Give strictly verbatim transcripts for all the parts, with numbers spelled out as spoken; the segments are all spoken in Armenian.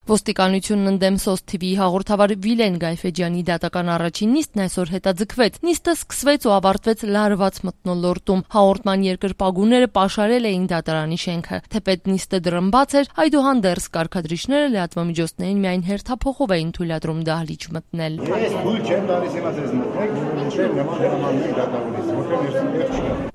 Ոստիկանությունն ընդդեմ Սոս թիվիի հաղորդավար Վիլեն Գայֆեջյանի դատական առաջին նիստն այսօր հետաձգվեց։ Նիստը սկսվեց ու ավարտվեց լարված մթնոլորտում։ Հաղորդման երկրպագուները պաշարել էին դատարանի շենքը։ Թեպետ նիստը դռնբաց էր, այդուհանդերձ կարգադրիչները լրատվամիջոցներին միայն հերթափոխով էին թույլատրում դահլիճ մտնել։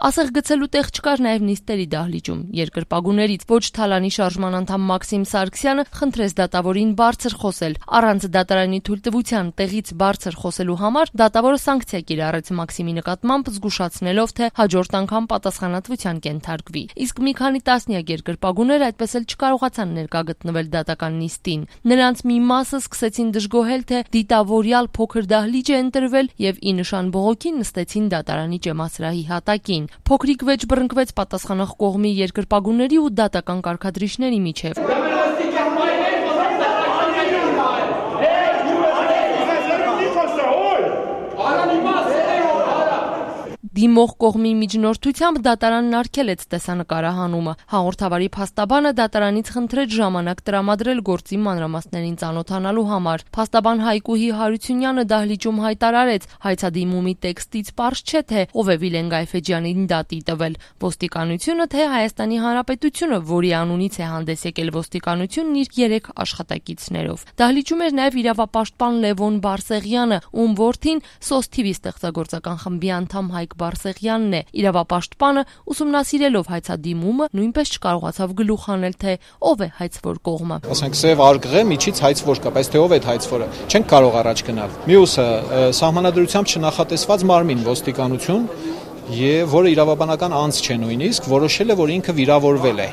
Ասեղ գցելու տեղ չկար նաև նիստերի դահլիճում։ Երկրպագուներից ոչ թալանի շարժման անդամ Մաքսիմ Սարգսյանը խնդրեց դատավորին բարձր խոսել։ Առանց դատարանի թույլտվության տեղից բարձր խոսելու համար դատավորը սանկցիա կիրառեց Մաքսիմի նկատմամբ, զգուշացնելով, թե հաջորդ անգամ պատասխանատվության կենթարկվի։ Իսկ մի քանի տասնյակ երկրպագուներ այդպես էլ չկարողացան ներկա գտնվել դատական նիստին։ Նրանց մի մասը սկսեցին դժգոհել, թե դիտավորյալ փոքր դահլիճ է ընտրվել եւ ի նշան բողոքի նստեցին դատարանի ճեմասրահի հատակին։ Փոքրիկ վեճ բռնկվեց պատասխանող կողմի երկրպագուների ու դատական կարգադրիչների միջև։ Դիմող կողմի միջնորդությամբ դատարանն արգելեց տեսանկարահանումը։ Հաղորդավարի փաստաբանը դատարանից խնդրեց ժամանակ տրամադրել գործի մանրամասներին ծանոթանալու համար։ Փաստաբան Հայկուհի Հարությունյանը դահլիճում հայտարարեց, հայցադիմումի տեքստից պարզ չէ, թե ով է Վիլեն Գայֆեջյանին դատի տվել՝ ոստիկանությունը, թե Հայաստանի Հանրապետությունը, որի անունից է հանդես եկել ոստիկանությունն իր երեք աշխատակիցներով։ Դահլիճում էր նաև իրավապաշտպան Լևոն Բարսեղյանը, ում որդին Սոս թիվի ստեղծագործական խմբի անդամ Հայկ Բարսեղյանն է։ Իրավապաշտպանը ուսումնասիրելով հայցադիմումը նույնպես չկարողացավ գլուխ հանել, թե ով է հայցվոր կողմը։ Ասենք սև արգղ է, միջից հայցվոր կա, բայց թե ով է հայցվորը, չենք կարող առաջ գնալ։ Մյուսը սահմանադրությամբ չնախատեսված մարմին ոստիկանություն, եւ որը իրավաբանական անձ չէ նույնիսկ, որոշել է, որ ինքը վիրավորվել է։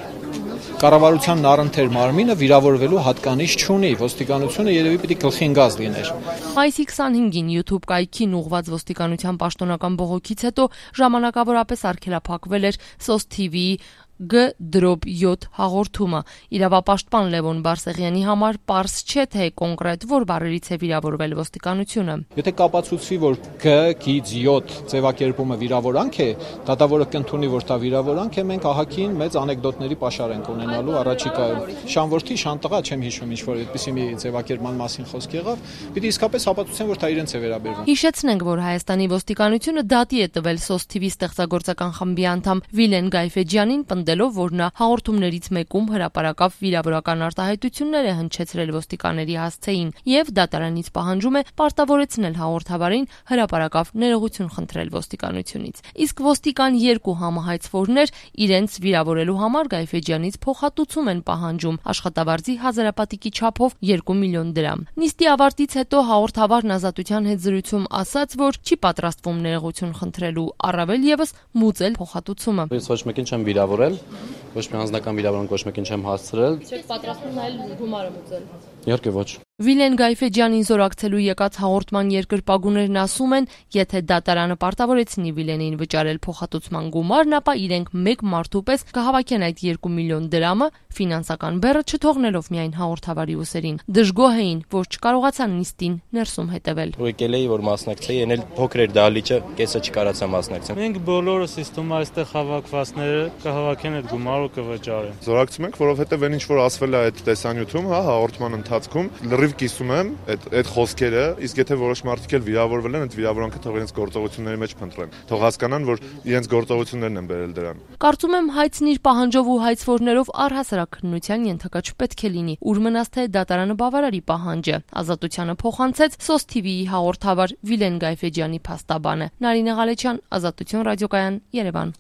Կառավարությանն առընթեր մարմինը վիրավորվելու հատկանիշ չունի, ոստիկանությունը երևի պիտի գլխին գազ լիներ։ Մայիսի քսանհինգին YouTube կայքին ուղղված ոստիկանության պաշտոնական բողոքից հետո ժամանակավորապես արգելափակվել էր Սոս թիվիի Գ յոթ հաղորդումը։ Իրավապաշտպան Լևոն Բարսեղյանի համար պարզ չէ, թե կոնկրետ որ բառերից է վիրավորվել ոստիկանությունը։ Եթե կապացուցվի, որ Գ յոթ ձևակերպումը վիրավորանք է, դատավորը կընդունի, որ դա վիրավորանք է, մենք ահագին մեծ անեկդոտների պաշար ենք ունենալու առաջիկայում։ Շանորդի, շանտղա, չեմ հիշում, ինչ որ այդպիսի մի ձևակերպման մասին խոսք եղավ, պիտի իսկապես հապացուցեն, որ դա իրենց է վերաբերվում։ Հիշեցնենք, որ Հայաստանի ոստիկանությունը դատի է տվել Սոս թիվի ստեղծագործական խմբի անդամ Վիլեն Գայֆեջյանին, ով որ նա հաղորդումներից մեկում հրապարակավ վիրավորական արտահայտություններ է հնչեցրել ոստիկանների հասցեին եւ դատարանից պահանջում է պարտավորեցնել հաղորդավարին հրապարակավ ներողություն խնդրել ոստիկանությունից։ Իսկ ոստիկան երկու համահայցվորներ իրենց վիրավորելու համար Գայֆեջյանից փոխհատուցում են պահանջում աշխատավարձի հազարապատիկի չափով երկու միլիոն դրամ։ Նիստի ավարտից հետո հաղորդավարն ազատության հետ զրույցում ասաց, որ չի պատրաստվում ներողություն խնդրելու, առավել եւս մուծել փոխհատուցումը։ Ես ոչ մեկին չեմ վիրավորել, ոչ մի անձնական վիրավորանք ոչ մեկին չեմ հասցրել։ Չեք պատրաստվում նայել գումարը մուծել։ Իհարկե ոչ։ Վիլեն Գայֆեջյանին զորակցելու եկած հաղորդման երկրպագուներն ասում են, եթե դատարանը պարտավորեցնի Վիլենին վճարել փոխհատուցման գումարն, ապա իրենք մեկ մարդու պես կհավաքեն այդ երկու միլիոն դրամը, ֆինանսական բեռը չթողնելով միայն հաղորդավարի ուսերին։ Դժգոհ էին, որ չկարողացան նիստին ներսում հետևել։ Եկել էի, որ մասնակցեի, ենել փոքր էր դահլիճը, կեսը չկարացա մասնակցել։ Մենք բոլորս իստում այստեղ հավաքվածները կհավաքեն այդ գումարը կվճարեն։ Զորակցում ենք, որովհետև այն ինչ որ ասվել է այդ տեսանյութում, հա, հաղորդման ընթացքում լրիվ կիսում եմ այդ այդ խոսքերը, իսկ եթե որոշ մարդիկ էլ վիրավորվել են, այդ վիրավորանքը թող իրենց գործողությունների մեջ փնտրեն։ Թող հասկանան, որ իրենց գործողություններն են բերել դրան։ Կարծում եմ հայցն իր պահանջով ու հայցվորներով առհասարակ քննության ենթակա չպետք է լինի, ուր մնաց թե դատարանը բավարարի պահանջը։ Ազատությանը փոխանցեց Սոս թիվիի հաղորդավար Վիլեն Գայֆեջյանի փաստաբանը։ Նարինե Ղալեչյան, Ազատություն ռադիոկայան, Երևան։